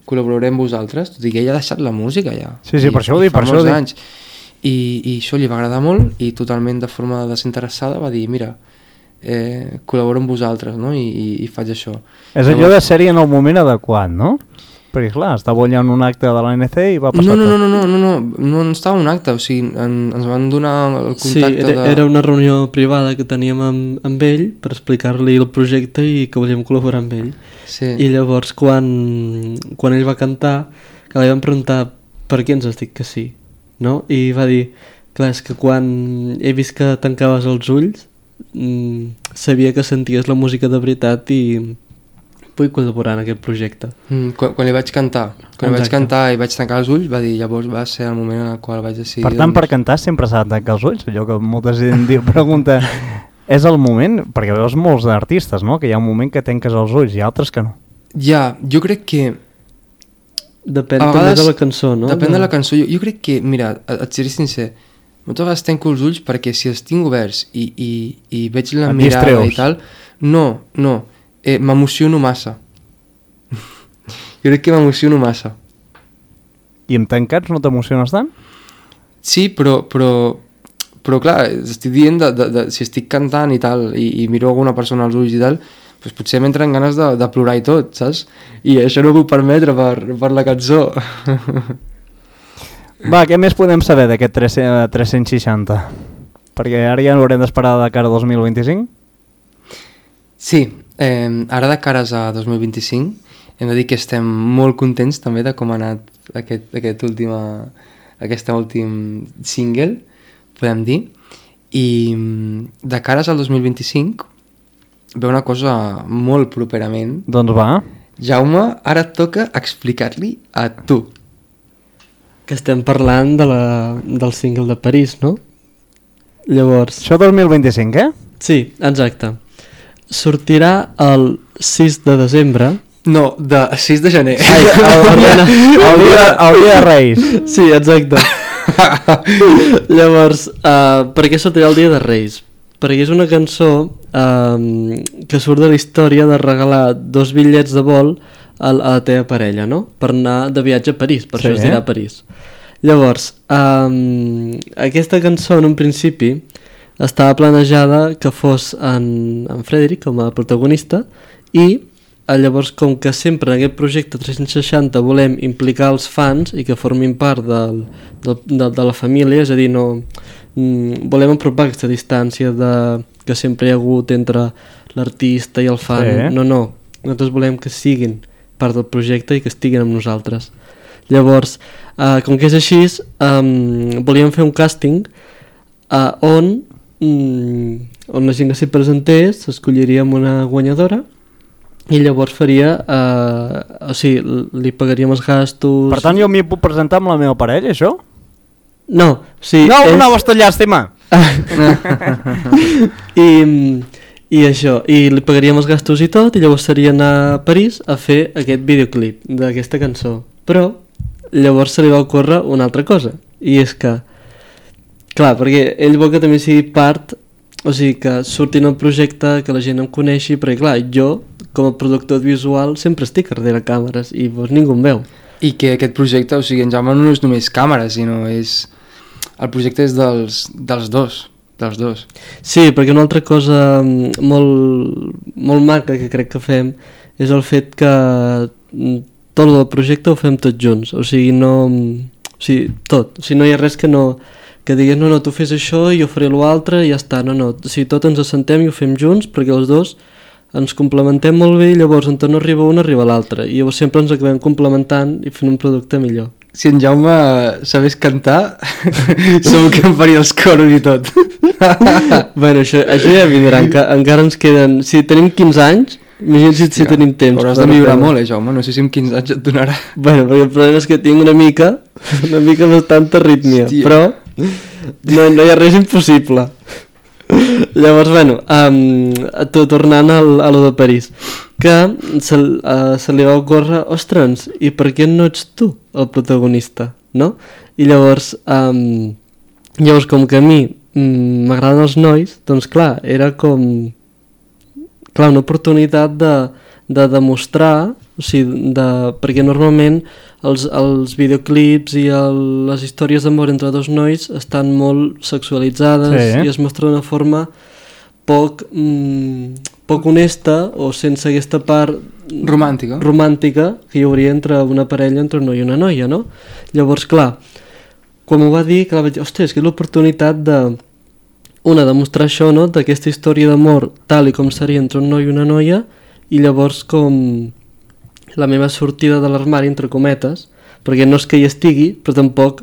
col·laborarem amb vosaltres, tot i que ell ha deixat la música ja. Sí, per això ho dic, per això ho dic. I això li va agradar molt i totalment de forma desinteressada va dir, mira, col·laboro amb vosaltres, no? I faig això. És allò de sèrie en el moment adequat, no? Perquè clar, estava allà en un acte de l'ANC i va passar no estava en un acte, o sigui, ens van donar el contacte era una reunió privada que teníem amb ell per explicar-li el projecte i que volíem col·laborar amb ell. Sí. I llavors quan ell va cantar, que li vam preguntar per què ens has dit que sí, no? I va dir, clar, és que quan he vist que tancaves els ulls sabia que senties la música de veritat i vull col·laborar en aquest projecte. Quan li vaig cantar, i vaig tancar els ulls, va dir, llavors va ser el moment en el qual vaig decidir... Per tant, per cantar sempre s'ha de tancar els ulls, allò que molta gent pregunta, és el moment, perquè veus molts artistes, no?, que hi ha un moment que tanques els ulls i altres que no. Ja, jo crec que... Depèn també de la cançó, no? Depèn de la cançó. Jo crec que, mira, et seré sincer, moltes vegades tanco els ulls perquè si els tinc oberts i veig la mirada i tal, no, m'emociono massa. Jo crec que m'emociono massa. I amb tancats no t'emociones tant? Sí, però clar, estic dient si estic cantant i tal i miro alguna persona als ulls i tal, doncs potser m'entren ganes de plorar i tot, saps? I això no ho puc permetre per la cançó. Va, què més podem saber d'aquest 360? Perquè ara ja haurem d'esperar de cara a 2025? Sí, ara de cares a 2025 hem de dir que estem molt contents també de com ha anat aquest últim single, podem dir, i de cares al 2025 ve una cosa molt properament. Doncs va. Jaume, ara et toca explicar-li a tu. Que estem parlant del single de París, no? Llavors... Això 2025, Sí, exacte. Sortirà el 6 de desembre. No, de 6 de gener. El dia de Reis. Sí, exacte. Llavors, per què sortirà el Dia de Reis? Perquè és una cançó que surt de la història de regalar 2 bitllets de vol a la teva parella, no? Per anar de viatge a París, per això es dirà París. Llavors, aquesta cançó en un principi estava planejada que fos en Frederic com a protagonista i llavors com que sempre en aquest projecte 360 volem implicar els fans i que formin part de la família, és a dir, no, volem apropar aquesta distància que sempre hi ha hagut entre l'artista i el fan. No, nosaltres volem que siguin part del projecte i que estiguin amb nosaltres. Llavors, com que és així, volíem fer un càsting on la gent que s'hi presentés s'escolliríem una guanyadora i llavors faria, o sigui, li pagaríem els gastos... Per tant, jo m'hi puc presentar amb la meva parella, això? No, sí... No, una vostra llàstima! I això, i li pagaríem els gastos i tot, i llavors seria anar a París a fer aquest videoclip d'aquesta cançó. Però llavors se li va ocórrer una altra cosa, i és que, clar, perquè ell vol que també sigui part, o sigui, que surti en el projecte, que la gent em coneixi, perquè clar, jo, com a productor visual, sempre estic darrere càmeres i doncs ningú em veu. I que aquest projecte, o sigui, en Jaume no és només càmera, sinó és... El projecte és dels dos. Sí, perquè una altra cosa molt maca que crec que fem és el fet que tot el projecte ho fem tots junts, o sigui, tot, o sigui, no hi ha res que digués no, tu fes això i jo faré l'altre i ja està, no, o sigui, tot ens assentem i ho fem junts perquè els dos ens complementem molt bé i llavors on no arriba un arriba l'altre i llavors sempre ens acabem complementant i fent un producte millor. Si en Jaume sabés cantar, segur que em faria els coros i tot. Bueno, això ja vindrà, encara ens queden... Si tenim 15 anys, imagina't si tenim temps. Hauràs de millorar molt, Jaume, no sé si amb 15 anys et donarà. Bueno, perquè el problema és que tinc una mica bastanta arrítmia, però no hi ha res impossible. Llavors, bueno, tornant a lo de París, que se li va ocórrer, ostres, i per què no ets tu el protagonista, no? I llavors com que a mi m'agraden els nois, doncs clar, era com una oportunitat de demostrar, o sigui, perquè normalment els videoclips i les històries d'amor entre dos nois estan molt sexualitzades i es mostra d'una forma poc honesta o sense aquesta part romàntica que hi hauria entre una parella, entre un noi i una noia, no? Llavors, clar, quan m'ho va dir, vaig dir, ostres, que és l'oportunitat de mostrar això, no?, d'aquesta història d'amor tal i com seria entre un noi i una noia, i llavors com la meva sortida de l'armari, entre cometes, perquè no és que hi estigui, però tampoc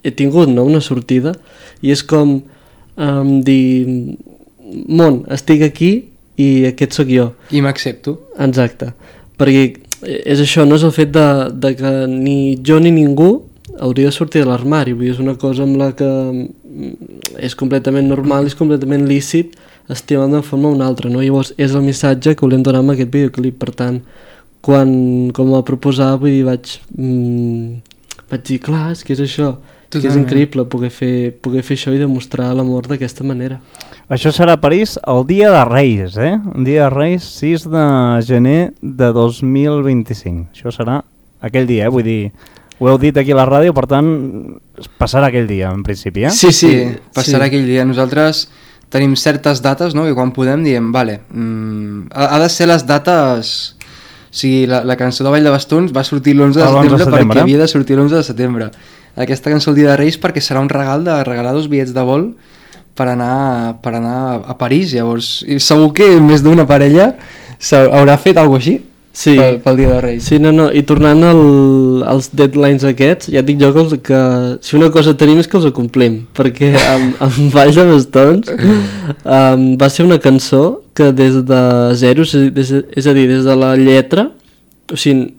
he tingut, no?, una sortida, i és com dir, món, estic aquí i aquest sóc jo. I m'accepto. Exacte, perquè és això, no és el fet de que ni jo ni ningú hauria de sortir de l'armari, vull dir, és una cosa amb la que és completament normal, és completament lícit estimar d'una forma o una altra, no? Llavors és el missatge que volem donar amb aquest videoclip, per tant, quan em va proposar, vull dir, vaig dir, clar, és que és això, que és increïble poder fer això i demostrar l'amor d'aquesta manera. Això serà a París el dia de Reis, Un dia de Reis, 6 de gener de 2025. Això serà aquell dia, vull dir, ho heu dit aquí a la ràdio, per tant, passarà aquell dia, en principi, Sí, passarà aquell dia. Nosaltres tenim certes dates, no?, i quan podem diem, vale, ha de ser les dates... O sigui, la cançó de Ball de Bastons va sortir l'11 de setembre perquè havia de sortir l'11 de setembre. Aquesta cançó el dia de Reis perquè serà un regal de regalar 2 bitllets de vol per anar a París. Llavors, segur que més d'una parella haurà fet alguna cosa així pel dia de Reis. Sí, no, i tornant als deadlines aquests, ja et dic jo que si una cosa tenim és que els complim, perquè amb Ball de Bastons va ser una cançó que des de zero, és a dir, des de la lletra, o sigui,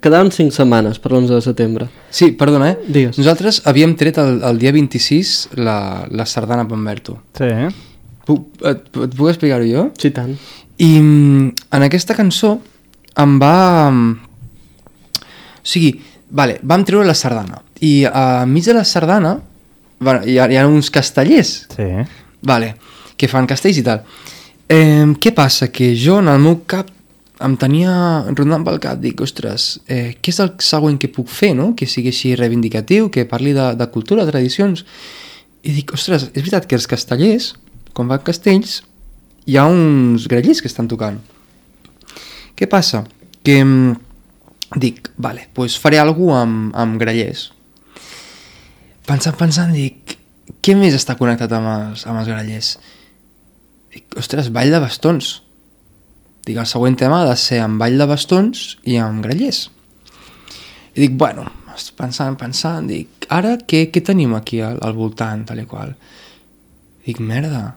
quedaven 5 setmanes per l'11 de setembre. Sí, perdona, Digues. Nosaltres havíem tret el dia 26 la sardana Pamberto. Sí. Et puc explicar-ho jo? Sí, tant. I en aquesta cançó em va... O sigui, vam treure la sardana i enmig de la sardana Bueno, hi ha uns castellers, Sí. vale, que fan castells i tal. Què passa? Que jo en el meu cap em tenia rondant pel cap, dic, ostres, què és el següent que puc fer, no? Que sigui així reivindicatiu, que parli de cultura, de tradicions. I dic, ostres, és veritat que els castellers, quan van castells, hi ha uns grellers que estan tocant. Què passa? Que dic, vale, doncs faré alguna cosa amb grellers. Pensant, dic, què més està connectat amb els grellers? Dic, ostres, ball de bastons. Dic, el següent tema ha de ser amb ball de bastons i amb grellers. I dic, bueno, pensant, dic, ara què tenim aquí al voltant, tal i qual? Dic, merda,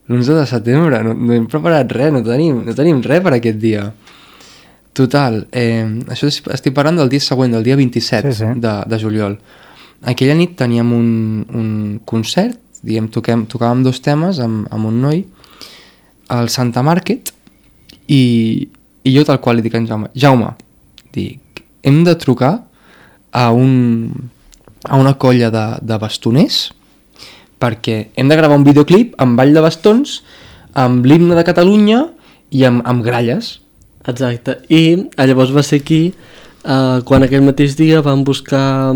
l'11 de setembre, no hem preparat res, no tenim res per aquest dia. Total, això estic parlant del dia següent, del dia 27 Sí. de juliol. Aquella nit teníem un concert, diguem, tocàvem 2 temes amb un noi al Santa Market i jo tal qual li dic a en Jaume, dic, hem de trucar a una colla de bastoners perquè hem de gravar un videoclip amb ball de bastons, amb l'himne de Catalunya i amb gralles. Exacte, i llavors va ser aquí quan aquell mateix dia van buscar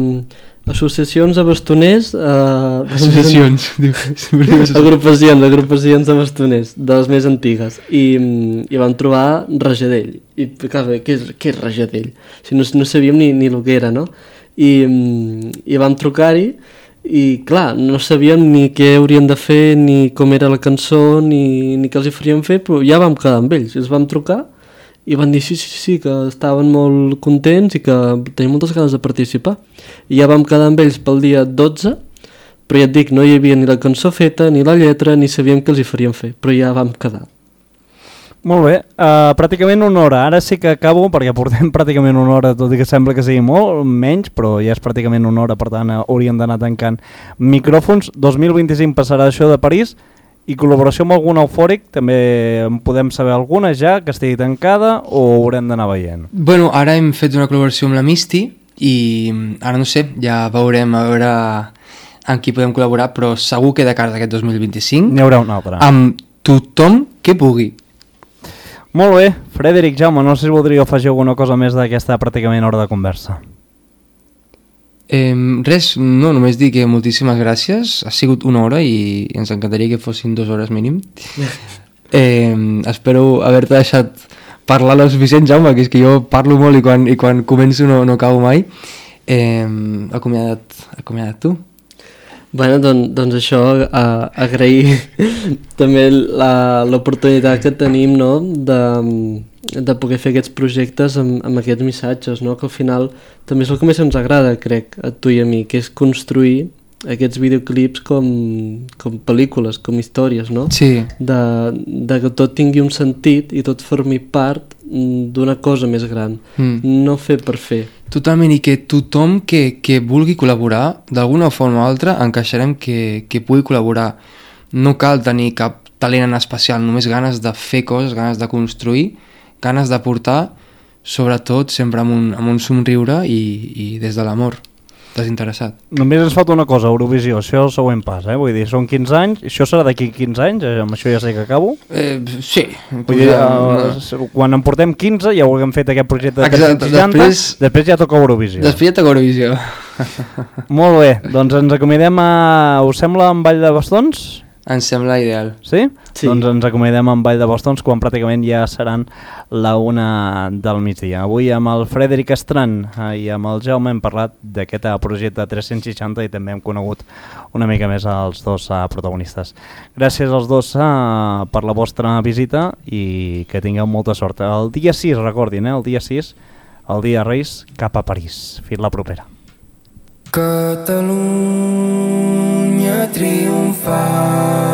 associacions de bastoners Associacions. agrupacions de bastoners de les més antigues i van trobar Rajadell i clar, què és Rajadell? Si no sabíem ni el que era, no? I vam trucar-hi i clar, no sabíem ni què haurien de fer, ni com era la cançó, ni què els hi faríem fer, però ja vam quedar amb ells, els vam trucar i van dir sí, que estaven molt contents i que tenien moltes ganes de participar. I ja vam quedar amb ells pel dia 12, però ja et dic, no hi havia ni la cançó feta, ni la lletra, ni sabíem què els hi faríem fer, però ja vam quedar. Molt bé, pràcticament una hora. Ara sí que acabo perquè portem pràcticament una hora, tot i que sembla que sigui molt menys, però ja és pràcticament una hora, per tant hauríem d'anar tancant micròfons. 2025 passarà això de París i col·laboració amb algun eufòric, també en podem saber alguna ja, que estigui tancada o haurem d'anar veient? Bueno, ara hem fet una col·laboració amb la Misty i ara no sé, ja veurem a veure amb qui podem col·laborar, però segur que de cara d'aquest 2025 N'hi haurà una altra. amb tothom que pugui. Molt bé, Frederic, Jaume, no sé si voldríeu afegir alguna cosa més d'aquesta pràcticament hora de conversa. Res, no, només dir que moltíssimes gràcies, ha sigut una hora i ens encantaria que fossin 2 hores mínim. Espero haver-te deixat parlar lo suficient, Jaume, que és que jo parlo molt i quan començo no acabo mai. Acomiada't tu. Bueno, doncs això, agrair també l'oportunitat que tenim, no?, de poder fer aquests projectes amb aquests missatges, no?, que al final també és el que més ens agrada, crec, a tu i a mi, que és construir aquests videoclips com pel·lícules, com històries, no? Sí. De que tot tingui un sentit i tot formi part d'una cosa més gran, no fer per fer. Totalment, i que tothom que vulgui col·laborar, d'alguna forma o altra, encaixarem que pugui col·laborar. No cal tenir cap talent en especial, només ganes de fer coses, ganes de construir, ganes de portar, sobretot sempre amb un somriure i des de l'amor, desinteressat. Només ens falta una cosa, Eurovisió, això és el següent pas, vull dir, són 15 anys, això serà d'aquí 15 anys, amb això ja sé que acabo. Sí. Vull dir, quan en portem 15 ja haurem fet aquest projecte de Exacte, 360, després ja toca Eurovisió. Després ja toca Eurovisió. Molt bé, doncs ens acomiadem us sembla amb Ball de Bastons? Ens sembla ideal. Sí? Sí. Doncs ens acomiadem amb Ball de Bastons quan pràcticament ja seran la 1 del migdia. Avui amb el Frederic Estran i amb el Jaume hem parlat d'aquest projecte 360 i també hem conegut una mica més els dos protagonistes. Gràcies als dos per la vostra visita i que tingueu molta sort. El dia 6, recordin, el dia 6, el dia Reis, cap a París. Fins la propera. Catalunya triomfant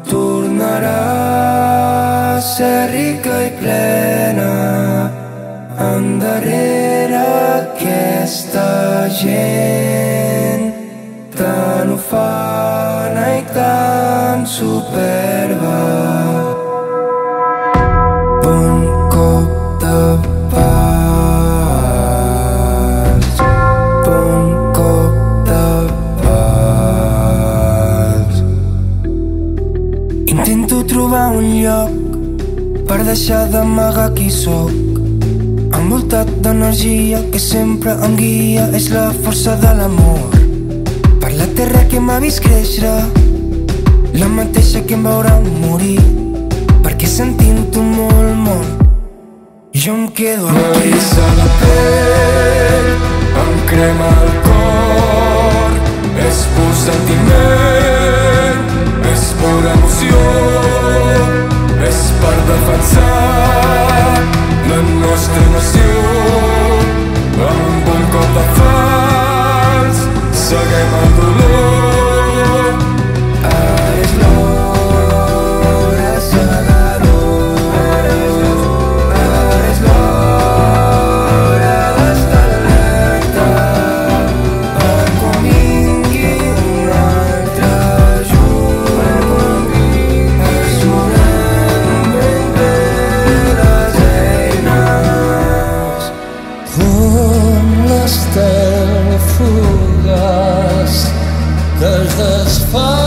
tornarà a ser rica i plena endarrere aquesta gent tan ufana i tan superba. Un cop de pas, un cop de pas. per deixar d'amagar qui sóc. Envoltat d'energia que sempre em guia, és la força de l'amor. Per la terra que m'ha vist créixer, la mateixa que em veurà morir, perquè sentint-ho molt, molt, jo em quedo aquí. M'erissa la pell, em crema el cor, és pur sentiment, és pura emoció, és per defensar la nostra nació. Amb un cop de fals seguem el dolor. Ara és l'hora segadora, ara és l'hora d'estar alerta per quan vingui un altre junt. Ajudem ben bé les eines, com l'estel fugaç que es desfà